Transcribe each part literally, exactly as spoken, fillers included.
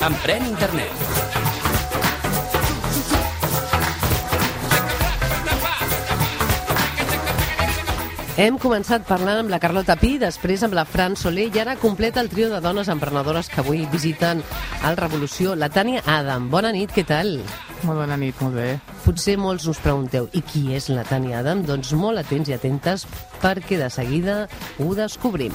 Emprèn Internet. Hem començat parlant amb la Carlota Pi, després amb la Fran Soler i ara completa el trio de dones emprenedores que avui visiten el Revolució, la Tània Adam. Bona nit, què tal? Molt bona nit, molt bé. Potser molts us pregunteu, i qui és la Tània Adam? Doncs molt atents i atentes perquè de seguida ho descobrim.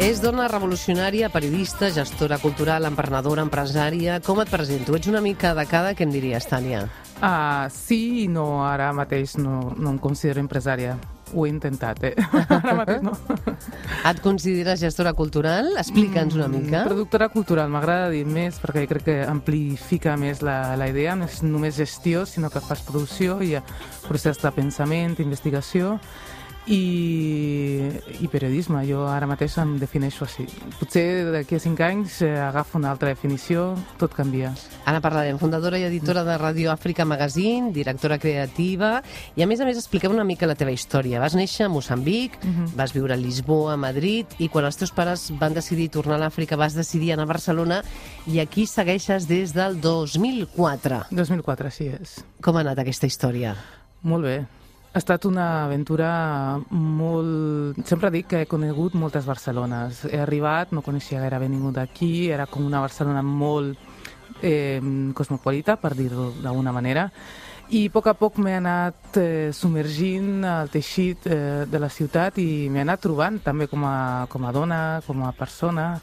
És dona revolucionària, periodista, gestora cultural, emprenedora, empresària. Com et presento? Ets una mica de cada, què em diries, Tània? Uh, sí i no, ara mateix no, no em considero empresària. Ho he intentat, eh? Ara mateix no. Et consideres gestora cultural? Explica'ns una mica. Mm, productora cultural, m'agrada dir més perquè crec que amplifica més la, la idea. No és només gestió, sinó que fas producció, hi ha procés de pensament, investigació i, i periodisme. Jo ara mateix em defineixo així. Potser d'aquí a cinc anys eh, agafo una altra definició, tot canvia. Ara parlarem, fundadora i editora de Radio Àfrica Magazine, directora creativa, i a més a més expliquem una mica la teva història. Vas néixer a Moçambic, uh-huh. vas viure a Lisboa, a Madrid, i quan els teus pares van decidir tornar a l'Àfrica vas decidir anar a Barcelona, i aquí segueixes des del dos mil quatre. dos mil quatre, així és. Com ha anat aquesta història? Molt bé. Ha estat una aventura molt... Sempre dic que he conegut moltes Barcelones. He arribat, no coneixia gairebé ningú d'aquí, era com una Barcelona molt eh, cosmopolita, per dir-ho d'alguna manera, i a poc a poc m'he anat eh, submergint al teixit eh, de la ciutat i m'he anat trobant també com a, com a dona, com a persona,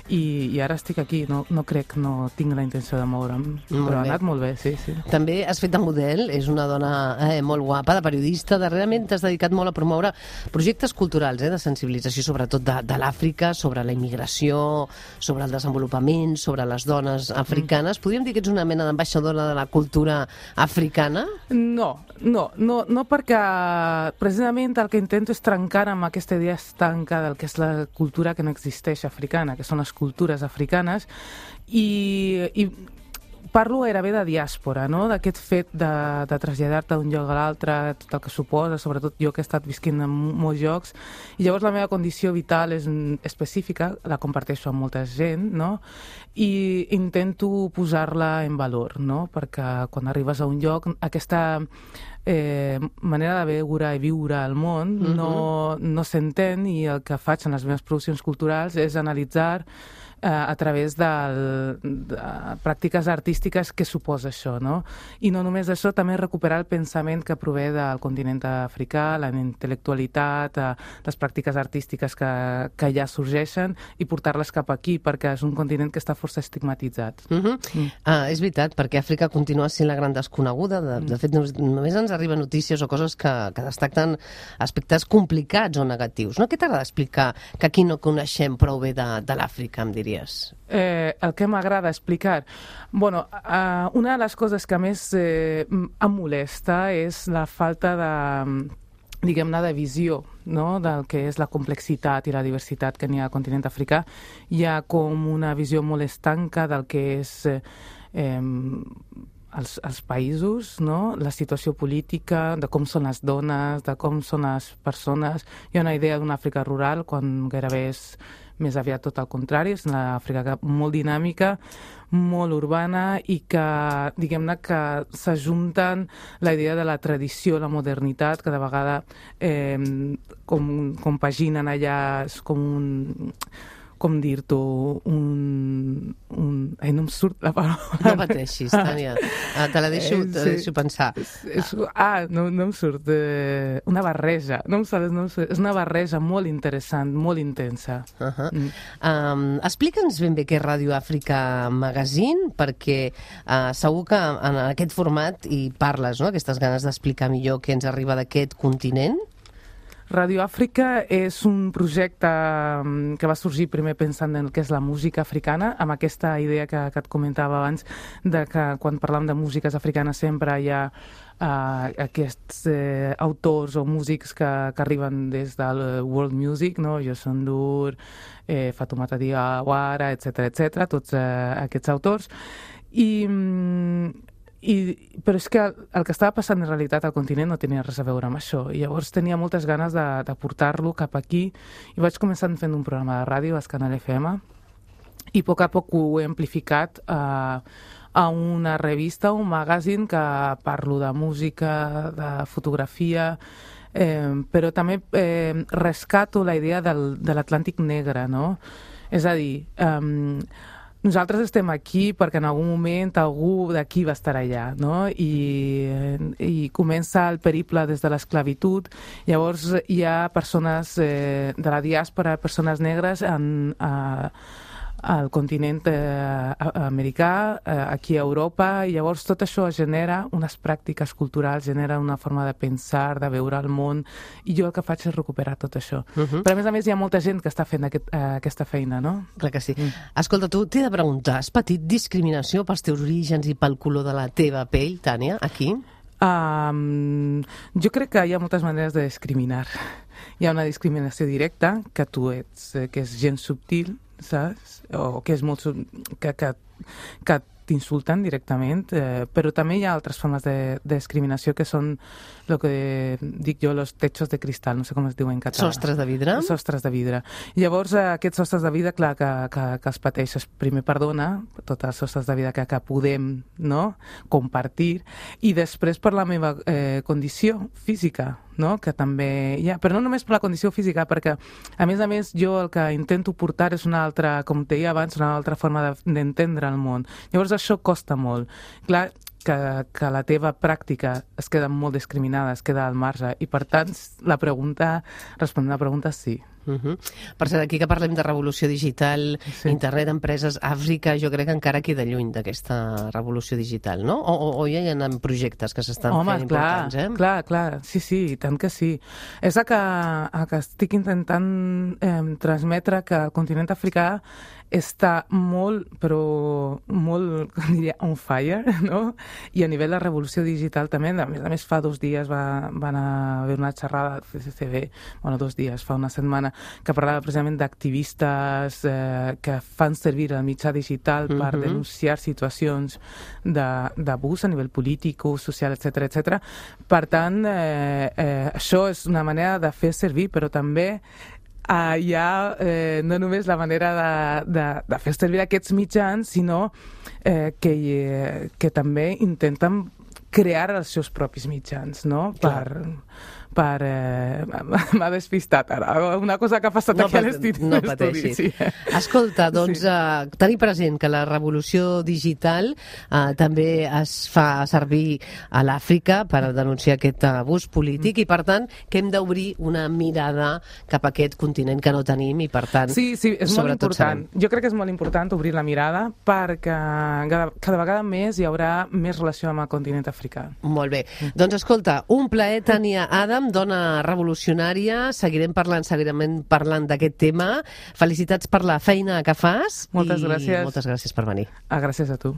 i, i ara estic aquí, no, no crec, no tinc la intenció de moure'm, molt però ha bé. anat molt bé, sí, sí. També has fet de model, és una dona eh, molt guapa, de periodista, darrerament t'has dedicat molt a promoure projectes culturals, eh, de sensibilització sobretot de, de l'Àfrica, sobre la immigració, sobre el desenvolupament, sobre les dones africanes. Mm. Podríem dir que ets una mena d'ambaixadora de la cultura africana? No, no, no, no perquè precisament el que intento és trencar amb aquesta idea estanca del que és la cultura que no existeix africana, que són les cultures africanes, i, i parlo gairebé de diàspora, no? D'aquest fet de, de traslladar-te d'un lloc a l'altre, tot el que suposa, sobretot jo que he estat visquint en molts llocs, i llavors la meva condició vital és específica, la comparteixo amb molta gent, no? I intento posar-la en valor, no? Perquè quan arribes a un lloc, aquesta eh, manera de veure i viure al món uh-huh. no, no s'entén, i el que faig en les meves produccions culturals és analitzar a través de, de pràctiques artístiques que suposa això, no? I no només això, també recuperar el pensament que prové del continent africà, la intel·lectualitat, les pràctiques artístiques que, que ja sorgeixen, i portar-les cap aquí, perquè és un continent que està força estigmatitzat. Uh-huh. mm. ah, és veritat, perquè Àfrica continua sent la gran desconeguda. De, de fet, només ens arriben notícies o coses que, que destaquen aspectes complicats o negatius. No? Què t'agrada explicar que aquí no coneixem prou bé de, de l'Àfrica, em diries? Eh, el que m'agrada explicar? Bueno, uh, una de les coses que més eh, em molesta és la falta de, diguem-ne, de visió, no? Del que és la complexitat i la diversitat que n'hi ha al continent africà. Hi ha com una visió molt estanca del que és eh, eh, els, els països, no? La situació política, de com són les dones, de com són les persones. Hi ha una idea d'una Àfrica rural, quan gairebé és més aviat tot el contrari, és una Àfrica molt dinàmica, molt urbana, i que, diguem-ne, que s'ajunten la idea de la tradició, la modernitat, que de vegada eh, com, compaginen allà, és com un... com dir-t'ho, un, un... Ai, no em surt la paraula. No pateixis, Tània. Ah, te la deixo, te la deixo pensar. És, és, ah, no, no em surt. Eh, una barreja. No em surt, no em surt. És una barreja molt interessant, molt intensa. Uh-huh. mm. um, Explica'ns ben bé què és Radio Àfrica Magazine, perquè uh, segur que en aquest format hi parles, no?, aquestes ganes d'explicar millor què ens arriba d'aquest continent. Radio Àfrica és un projecte que va sorgir primer pensant en el que és la música africana, amb aquesta idea que, que et comentava abans, de que quan parlam de músiques africanes sempre hi ha uh, aquests uh, autors o músics que, que arriben des del world music, no? Youssou N'Dour, eh, Fatoumata Diawara, etcètera, etcètera, tots uh, aquests autors. I... i, però és que el, el que estava passant en realitat al continent no tenia res a veure amb això, i llavors tenia moltes ganes de, de portar-lo cap aquí, i vaig començar fent un programa de ràdio a Escanal F M, i a poc a poc ho he amplificat a, a una revista, un magazine que parlo de música, de fotografia, eh, però també eh, rescato la idea del, de l'Atlàntic negre, no? És a dir, eh, nosaltres estem aquí perquè en algun moment algú d'aquí va estar allà, no? I, i comença el periple des de l'esclavitud. Llavors hi ha persones eh, de la diàspora, persones negres en, a, al continent eh, americà, eh, aquí a Europa, i llavors tot això genera unes pràctiques culturals, genera una forma de pensar, de veure el món, i jo el que faig és recuperar tot això. Uh -huh. Però a més a més hi ha molta gent que està fent aquest, eh, aquesta feina, no? Clar que sí. Mm. Escolta, tu t'he de preguntar, has patit discriminació pels teus orígens i pel color de la teva pell, Tània, aquí? Um, jo crec que hi ha moltes maneres de discriminar. Hi ha una discriminació directa, que tu ets, eh, que és gens subtil, saps? O que és molt que, que, que t'insulten directament, eh, però també hi ha altres formes de, de discriminació que són el que dic jo, los techos de cristal, no sé com es diu en català. Sostres de vidre? Sostres de vidre. Llavors, eh, aquests sostres de vidre, clar, que, que, que els pateixes. Primer, perdona, tots els sostres de vidre que, que podem, no?, compartir, i després per la meva eh, condició física, no?, que també hi ha, però no només per la condició física, perquè a més a més jo el que intento portar és una altra, com deia abans, una altra forma d'entendre el món. Llavors això costa molt. Clar, que, que la teva pràctica es queda molt discriminada, es queda al marge, i per tant la pregunta, respondent a la pregunta, sí. Uh -huh. Per cert, aquí que parlem de revolució digital, sí. Internet, empreses, Àfrica, jo crec que encara queda lluny d'aquesta revolució digital, no? O, o, o ja hi ha projectes que s'estan fent clar, importants, eh? clar, clar, sí, sí, tant que sí. És el que, el que estic intentant eh, transmetre, que el continent africà està molt, però molt, com diria, on fire, no? I a nivell de revolució digital també, a més a més fa dos dies va, van haver una xerrada del C C C B, bueno, dos dies, fa una setmana, que parlava precisament d'activistes eh, que fan servir el mitjà digital per uh-huh. denunciar situacions d'abús a nivell polític, social, etcètera, etcètera. Per tant, eh, eh, això és una manera de fer servir, però també Uh, hi ha eh, no només la manera de, de, de fer servir aquests mitjans, sinó eh, que, eh, que també intenten crear els seus propis mitjans, no? Clar. Per, per eh, m'ha despistat ara, una cosa que ha passat no aquí a l'estudi. No pateixis. Sí. Escolta, doncs, sí. uh, tenir present que la revolució digital uh, també es fa servir a l'Àfrica per denunciar aquest abús polític, mm. i per tant que hem d'obrir una mirada cap a aquest continent que no tenim, i per tant... Sí, sí, és molt important. Sabem. Jo crec que és molt important obrir la mirada perquè cada, cada vegada més hi haurà més relació amb el continent africà. Molt bé. Mm. Doncs escolta, un plaer, Tània Adam, dona revolucionària, seguirem parlant, seguirem parlant d'aquest tema. Felicitats per la feina que fas. Moltes i gràcies. moltes gràcies per venir. Ah, gràcies a tu.